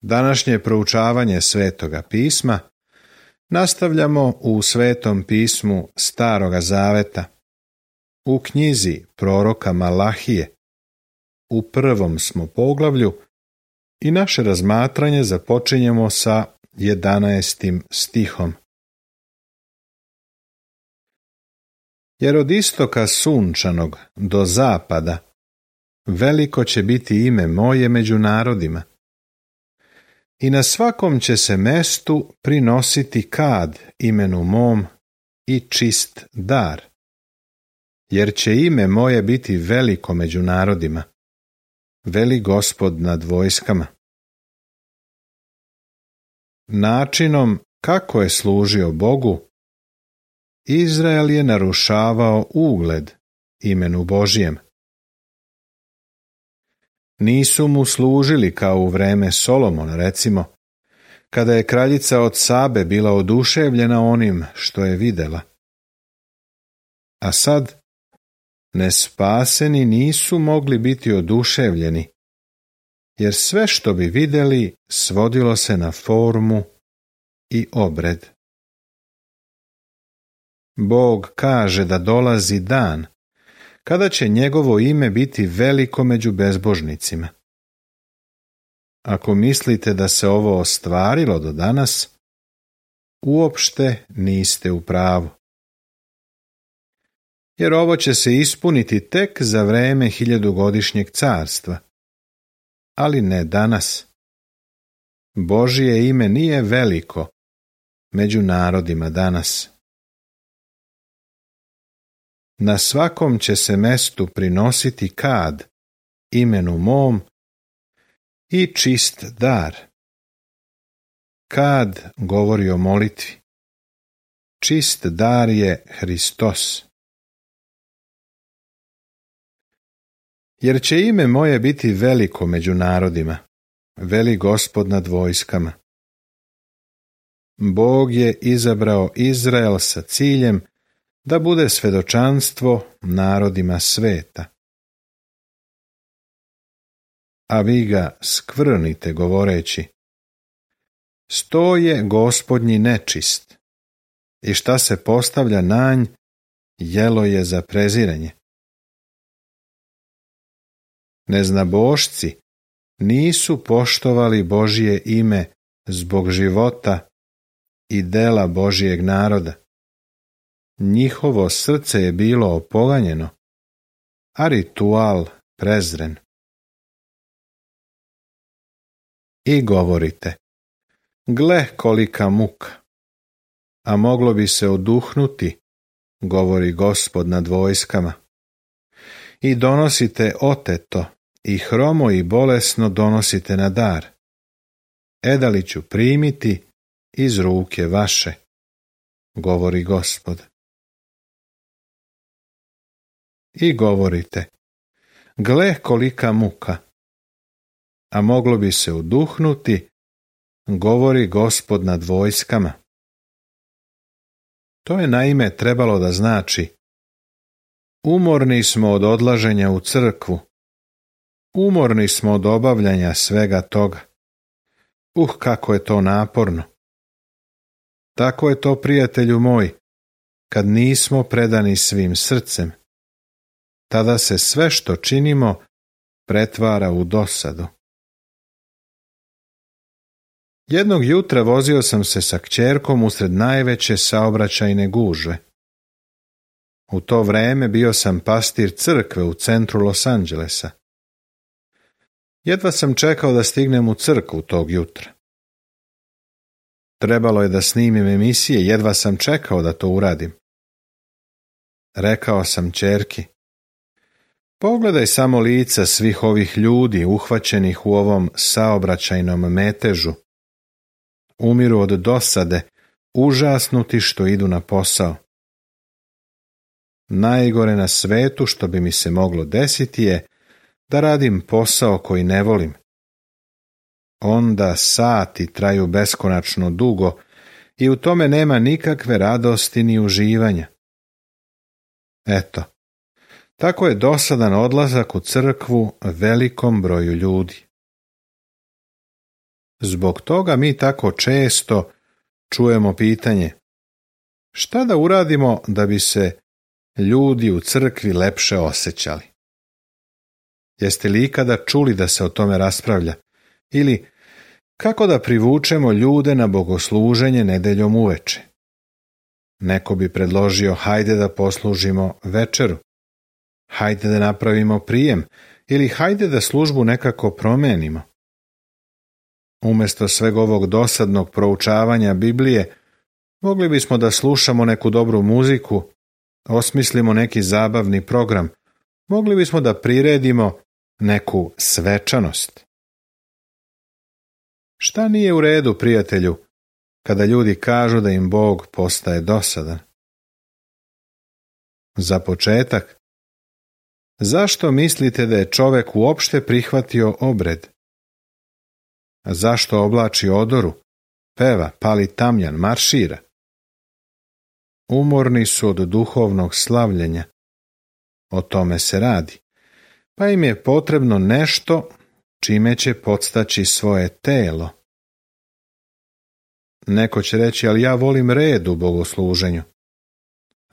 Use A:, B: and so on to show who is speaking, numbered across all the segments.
A: Današnje proučavanje Svetoga pisma nastavljamo u Svetom pismu Staroga Zaveta, u knjizi proroka Malahije. U 1. smo poglavlju i naše razmatranje započinjemo sa 11. stihom. Jer od istoka sunčanog do zapada veliko će biti ime moje među narodima. I na svakom će se mestu prinositi kad imenu mom i čist dar, jer će ime moje biti veliko među narodima, veli Gospod nad vojskama. Načinom kako je služio Bogu, Izrael je narušavao ugled imenu Božijem. Nisu mu služili kao u vreme Solomona, recimo, kada je kraljica od Sabe bila oduševljena onim što je videla. A sad, nespaseni nisu mogli biti oduševljeni, jer sve što bi vidjeli svodilo se na formu i obred. Bog kaže da dolazi dan kada će njegovo ime biti veliko među bezbožnicima. Ako mislite da se ovo ostvarilo do danas, uopšte niste u pravu. Jer ovo će se ispuniti tek za vreme 1000-godišnjeg carstva, ali ne danas. Božje ime nije veliko među narodima danas. Na svakom će se mestu prinositi kad imenu mom i čist dar. Kad govori o molitvi. Čist dar je Hristos. Jer će ime moje biti veliko među narodima, veli Gospod nad vojskama. Bog je izabrao Izrael sa ciljem da bude svedočanstvo narodima sveta. A vi ga skvrnite govoreći: sto je Gospodnji nečist, i šta se postavlja na nj, jelo je za preziranje. Neznabošci nisu poštovali Božje ime zbog života i dela Božjeg naroda. Njihovo srce je bilo opoganjeno, a ritual prezren. I govorite: gle kolika muka, a moglo bi se oduhnuti, govori Gospod nad vojskama. I donosite oteto, i hromo i bolesno donosite na dar. Edali ću primiti iz ruke vaše, govori Gospod. I govorite: gle kolika muka, a moglo bi se oduhnuti, govori Gospod nad vojskama. To je naime trebalo da znači: umorni smo od odlaženja u crkvu, umorni smo od obavljanja svega toga. Kako je to naporno. Tako je to, prijatelju moj, kad nismo predani svim srcem. Tada se sve što činimo pretvara u dosadu. Jednog jutra vozio sam se sa kćerkom usred najveće saobraćajne gužve. U to vreme bio sam pastir crkve u centru Los Angelesa. Jedva sam čekao da stignem u crkvu tog jutra. Trebalo je da snimim emisije, jedva sam čekao da to uradim. Rekao sam kćerki: pogledaj samo lica svih ovih ljudi uhvaćenih u ovom saobraćajnom metežu. Umiru od dosade, užasnuti što idu na posao. Najgore na svetu što bi mi se moglo desiti je da radim posao koji ne volim. Onda sati traju beskonačno dugo i u tome nema nikakve radosti ni uživanja. Eto, tako je dosadan odlazak u crkvu velikom broju ljudi. Zbog toga mi tako često čujemo pitanje: šta da uradimo da bi se ljudi u crkvi lepše osjećali? Jeste li ikada čuli da se o tome raspravlja? Ili kako da privučemo ljude na bogosluženje nedeljom uveče? Neko bi predložio: hajde da poslužimo večeru, hajde da napravimo prijem, ili hajde da službu nekako promenimo. Umjesto sveg ovog dosadnog proučavanja Biblije, mogli bismo da slušamo neku dobru muziku, osmislimo neki zabavni program, mogli bismo da priredimo neku svečanost. Šta nije u redu, prijatelju, kada ljudi kažu da im Bog postaje dosadan? Za početak, zašto mislite da je čovek uopšte prihvatio obred? Zašto oblači odoru, peva, pali tamjan, maršira? Umorni su od duhovnog slavljenja. O tome se radi. Pa im je potrebno nešto čime će podstaći svoje telo. Neko će reći: ali ja volim red u bogosluženju.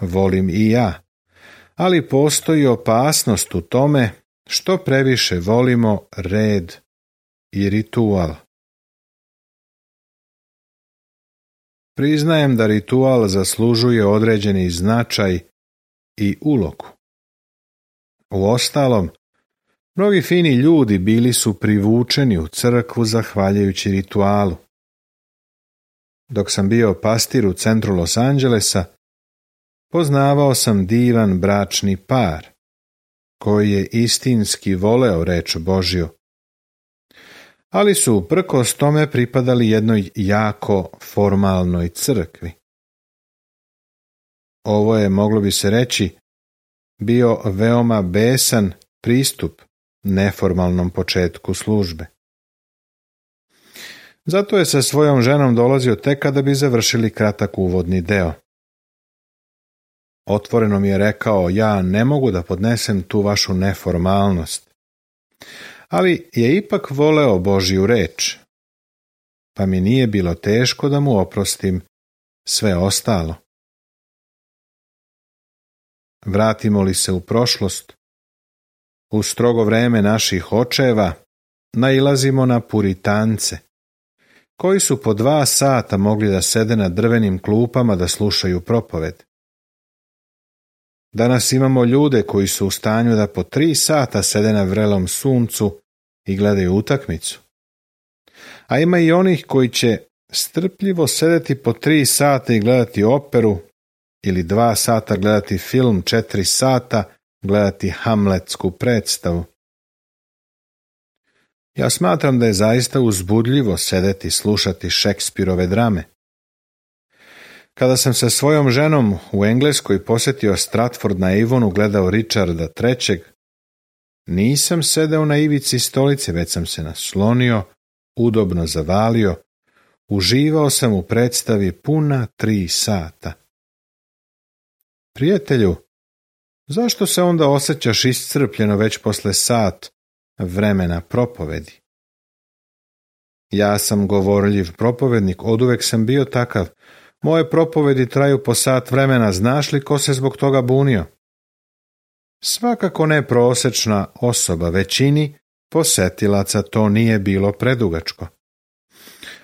A: Volim i ja. Ali postoji opasnost u tome što previše volimo red i ritual. Priznajem da ritual zaslužuje određeni značaj i ulogu. Uostalom, mnogi fini ljudi bili su privučeni u crkvu zahvaljujući ritualu. Dok sam bio pastir u centru Los Angelesa, poznavao sam divan bračni par, koji je istinski voleo reč Božju, ali su uprkos tome pripadali jednoj jako formalnoj crkvi. Ovo je, moglo bi se reći, bio veoma besan pristup neformalnom početku službe. Zato je sa svojom ženom dolazio tek kada bi završili kratak uvodni deo. Otvoreno mi je rekao: ja ne mogu da podnesem tu vašu neformalnost. Ali je ipak voleo Božju reč, pa mi nije bilo teško da mu oprostim sve ostalo. Vratimo li se u prošlost, u strogo vreme naših očeva nailazimo na puritance, koji su po 2 sata mogli da sede na drvenim klupama da slušaju propoved. Danas imamo ljude koji su u stanju da po 3 sata sede na vrelom suncu i gledaju utakmicu. A ima i onih koji će strpljivo sedeti po 3 sata i gledati operu, ili 2 sata gledati film, 4 sata gledati hamletsku predstavu. Ja smatram da je zaista uzbudljivo sedeti slušati Šekspirove drame. Kada sam sa svojom ženom u Engleskoj posjetio Stratford na Avonu, gledao Richarda III, nisam sedeo na ivici stolice, već sam se naslonio, udobno zavalio, uživao sam u predstavi puna 3 sata. Prijatelju, zašto se onda osjećaš iscrpljeno već posle sat vremena propovedi? Ja sam govorljiv propovednik, oduvek sam bio takav. Moje propovedi traju po sat vremena, znaš li ko se zbog toga bunio? Svakako ne prosečna osoba, većini posetilaca to nije bilo predugačko.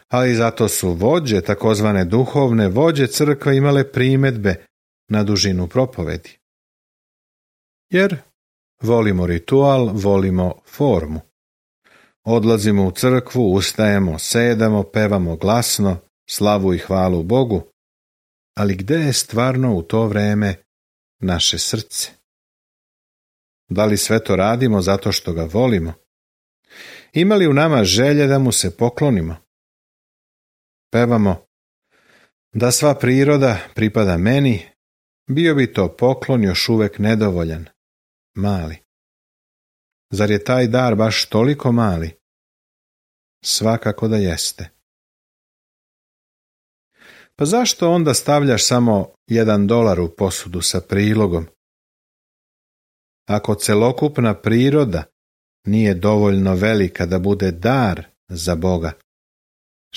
A: Ali zato su vođe, takozvane duhovne vođe crkve, imale primedbe na dužinu propovedi. Jer volimo ritual, volimo formu. Odlazimo u crkvu, ustajemo, sedamo, pevamo glasno, slavu i hvalu Bogu, ali gde je stvarno u to vreme naše srce? Da li sve to radimo zato što ga volimo? Ima li u nama želje da mu se poklonimo? Pevamo: da sva priroda pripada meni, bio bi to poklon još uvek nedovoljan, mali. Zar je taj dar baš toliko mali? Svakako da jeste. Pa zašto onda stavljaš samo $1 u posudu sa prilogom? Ako celokupna priroda nije dovoljno velika da bude dar za Boga,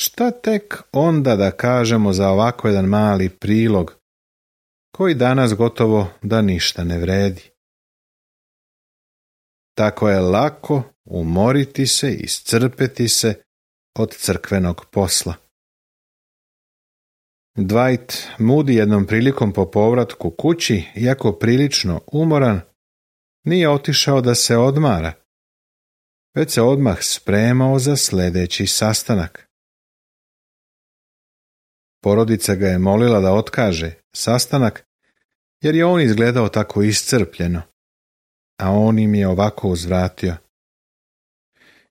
A: šta tek onda da kažemo za ovako jedan mali prilog, koji danas gotovo da ništa ne vredi. Tako je lako umoriti se i iscrpeti se od crkvenog posla. Dwight Moody jednom prilikom po povratku kući, iako prilično umoran, nije otišao da se odmara, već se odmah spremao za sljedeći sastanak. Porodica ga je molila da otkaže sastanak, jer je on izgledao tako iscrpljeno, a on im je ovako uzvratio: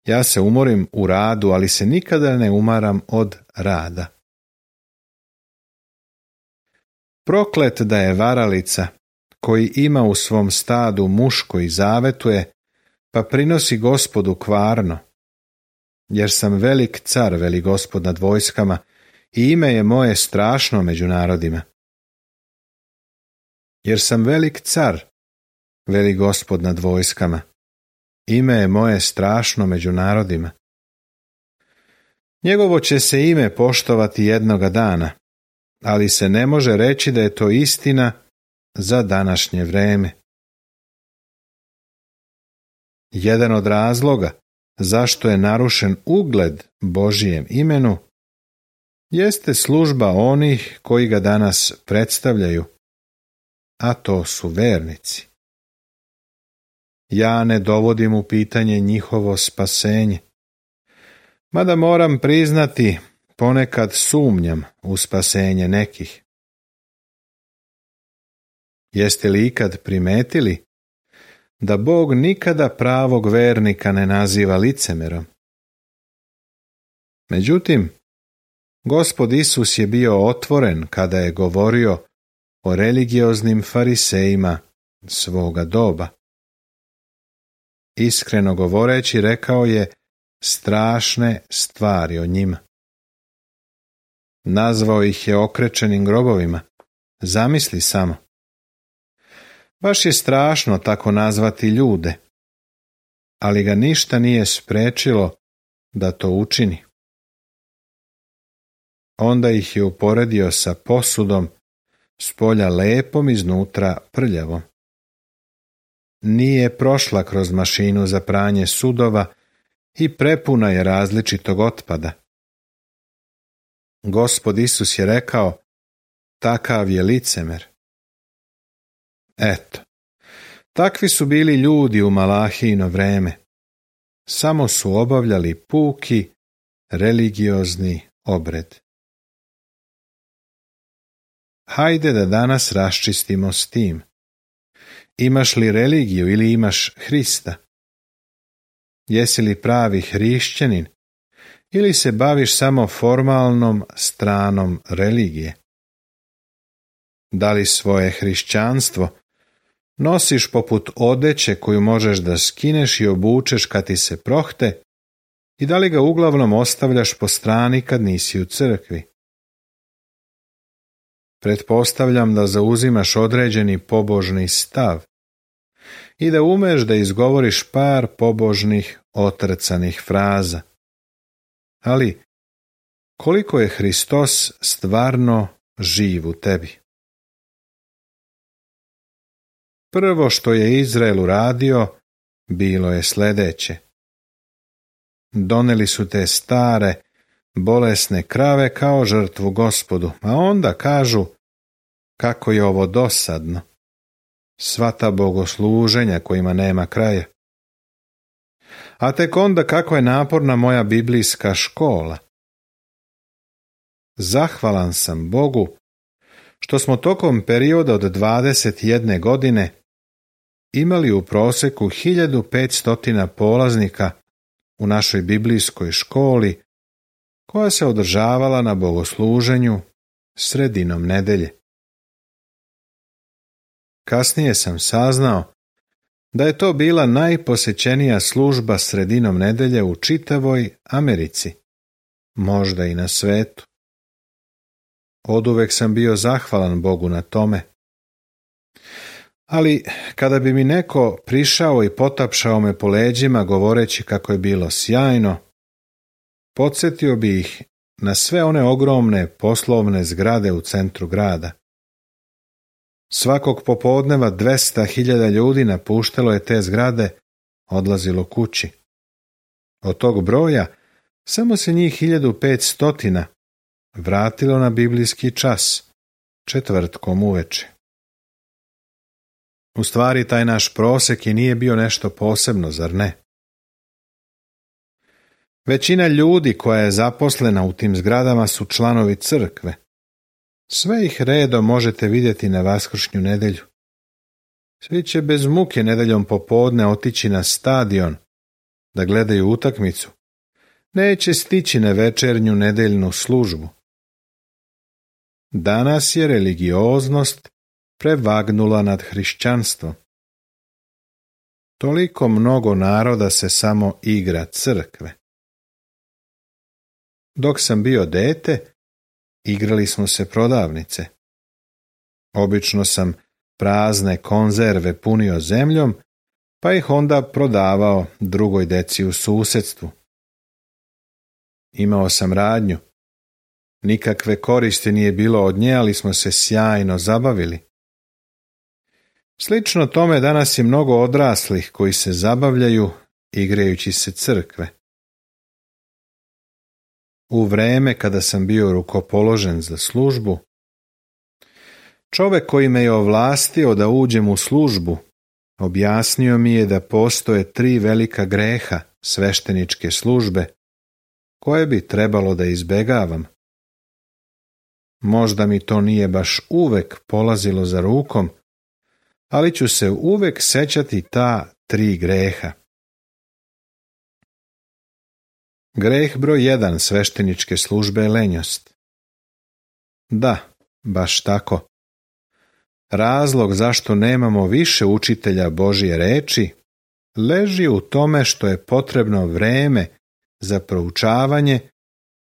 A: ja se umorim u radu, ali se nikada ne umaram od rada. Proklet da je varalica koji ima u svom stadu muško i zavetuje, pa prinosi Gospodu kvarno. Jer sam velik car, veli Gospod nad vojskama, i ime je moje strašno među narodima. Jer sam velik car, veli Gospod nad vojskama, ime je moje strašno među narodima. Njegovo će se ime poštovati jednoga dana, ali se ne može reći da je to istina za današnje vreme. Jedan od razloga zašto je narušen ugled Božijem imenu jeste služba onih koji ga danas predstavljaju, a to su vernici. Ja ne dovodim u pitanje njihovo spasenje, mada moram priznati, ponekad sumnjam u spasenje nekih. Jeste li ikad primetili da Bog nikada pravog vernika ne naziva licemerom? Međutim, Gospod Isus je bio otvoren kada je govorio o religioznim farisejima svoga doba. Iskreno govoreći, rekao je strašne stvari o njima. Nazvao ih je okrečenim grobovima. Zamisli samo. Baš je strašno tako nazvati ljude, ali ga ništa nije spriječilo da to učini. Onda ih je uporedio sa posudom, spolja lepom, iznutra prljavom. Nije prošla kroz mašinu za pranje sudova i prepuna je različitog otpada. Gospod Isus je rekao, takav je licemer. Eto, takvi su bili ljudi u Malahijino vreme. Samo su obavljali puki religiozni obred. Hajde da danas raščistimo s tim. Imaš li religiju ili imaš Hrista? Jesi li pravi hrišćanin ili se baviš samo formalnom stranom religije? Da li svoje hrišćanstvo nosiš poput odeće koju možeš da skineš i obučeš kad ti se prohte, i da li ga uglavnom ostavljaš po strani kad nisi u crkvi? Pretpostavljam da zauzimaš određeni pobožni stav i da umeš da izgovoriš par pobožnih otrcanih fraza. Ali koliko je Hristos stvarno živ u tebi? Prvo što je Izrael uradio bilo je sljedeće. Doneli su te stare, bolesne krave kao žrtvu Gospodu, a onda kažu kako je ovo dosadno. Sva ta bogosluženja kojima nema kraja. A tek onda kako je naporna moja biblijska škola. Zahvalan sam Bogu što smo tokom perioda od 21 godine imali u prosjeku 1500 polaznika u našoj biblijskoj školi, koja se održavala na bogosluženju sredinom nedelje. Kasnije sam saznao da je to bila najposećenija služba sredinom nedelje u čitavoj Americi, možda i na svetu. Oduvek sam bio zahvalan Bogu na tome. Ali kada bi mi neko prišao i potapšao me po leđima govoreći kako je bilo sjajno, podsjetio bi ih na sve one ogromne poslovne zgrade u centru grada. Svakog popodneva 200.000 ljudi napuštalo je te zgrade, odlazilo kući. Od tog broja samo se njih 1500 vratilo na biblijski čas, četvrtkom uveče. U stvari taj naš prosek i nije bio nešto posebno, zar ne? Većina ljudi koja je zaposlena u tim zgradama su članovi crkve. Sve ih redom možete vidjeti na Vaskršnju nedjelju. Svi će bez muke nedjeljom popodne otići na stadion da gledaju utakmicu. Neće stići na večernju nedjeljnu službu. Danas je religioznost prevagnula nad hrišćanstvom. Toliko mnogo naroda se samo igra crkve. Dok sam bio dete, igrali smo se prodavnice. Obično sam prazne konzerve punio zemljom, pa ih onda prodavao drugoj deci u susjedstvu. Imao sam radnju. Nikakve koristi nije bilo od nje, ali smo se sjajno zabavili. Slično tome danas je mnogo odraslih koji se zabavljaju igrajući se crkve. U vrijeme kada sam bio rukopoložen za službu, čovjek koji me je ovlastio da uđem u službu, objasnio mi je da postoje 3 velika greha svešteničke službe, koje bi trebalo da izbegavam. Možda mi to nije baš uvek polazilo za rukom, ali ću se uvek sećati ta 3 greha. Greh broj 1 svešteničke službe je lenjost. Da, baš tako. Razlog zašto nemamo više učitelja Božje reči leži u tome što je potrebno vreme za proučavanje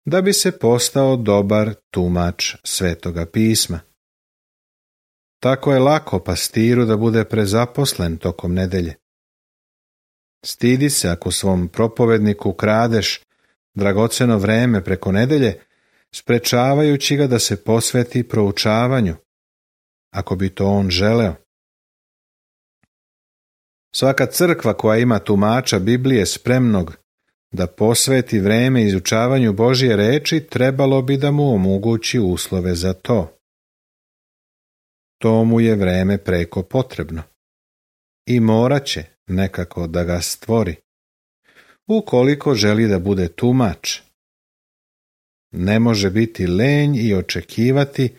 A: da bi se postao dobar tumač Svetoga pisma. Tako je lako pastiru da bude prezaposlen tokom nedelje. Stidi se ako svom propovedniku kradeš dragoceno vreme preko nedelje, sprečavajući ga da se posveti proučavanju, ako bi to on želeo. Svaka crkva koja ima tumača Biblije spremnog da posveti vreme izučavanju Božje reči, trebalo bi da mu omogući uslove za to. To mu je vreme preko potrebno i morat će nekako da ga stvori, ukoliko želi da bude tumač. Ne može biti lenj i očekivati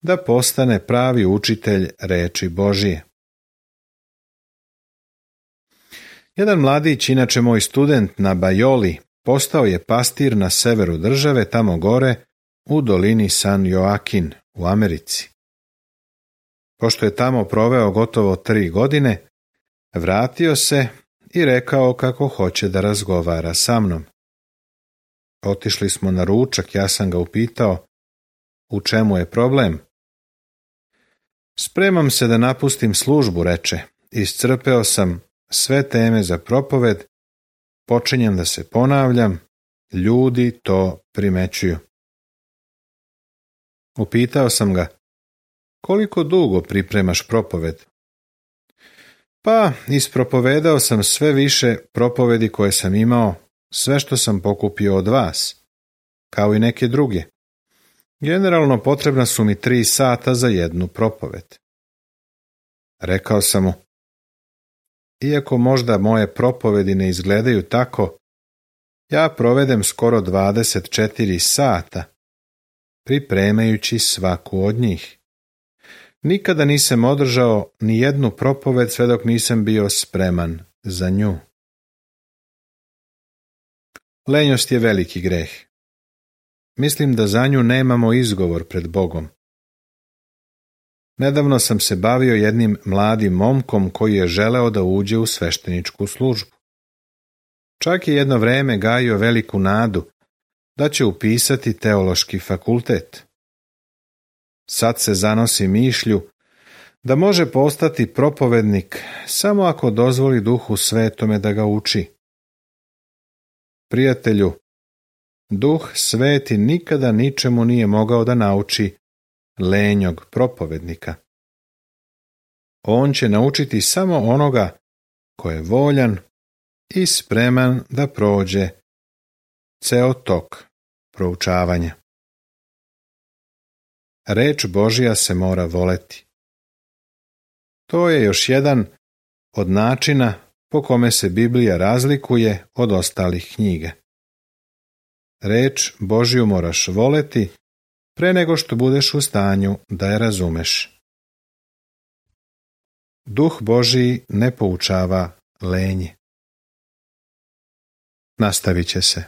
A: da postane pravi učitelj reči Božije. Jedan mladić, inače moj student na Bajoli, postao je pastir na severu države, tamo gore u dolini San Joaquin u Americi. Pošto je tamo proveo gotovo 3 godine, vratio se i rekao kako hoće da razgovara sa mnom. Otišli smo na ručak, ja sam ga upitao u čemu je problem. Spremam se da napustim službu, reče. Iscrpeo sam sve teme za propoved, počinjem da se ponavljam, ljudi to primećuju. Upitao sam ga, koliko dugo pripremaš propoved? Pa, ispropovedao sam sve više propovedi koje sam imao, sve što sam pokupio od vas, kao i neke druge. Generalno potrebna su mi 3 sata za jednu propoved. Rekao sam mu, iako možda moje propovedi ne izgledaju tako, ja provedem skoro 24 sata, pripremajući svaku od njih. Nikada nisam održao ni jednu propoved sve dok nisam bio spreman za nju. Lenjost je veliki greh. Mislim da za nju nemamo izgovor pred Bogom. Nedavno sam se bavio jednim mladim momkom koji je želeo da uđe u svešteničku službu. Čak je jedno vreme gajio veliku nadu da će upisati teološki fakultet. Sad se zanosi mišlju da može postati propovednik samo ako dozvoli Duhu Svetome da ga uči. Prijatelju, Duh Sveti nikada ničemu nije mogao da nauči lenjog propovednika. On će naučiti samo onoga ko je voljan i spreman da prođe ceo tok proučavanja. Reč Božja se mora voleti. To je još jedan od načina po kome se Biblija razlikuje od ostalih knjiga. Reč Božju moraš voleti pre nego što budeš u stanju da je razumeš. Duh Božji ne poučava lenje. Nastavit će se.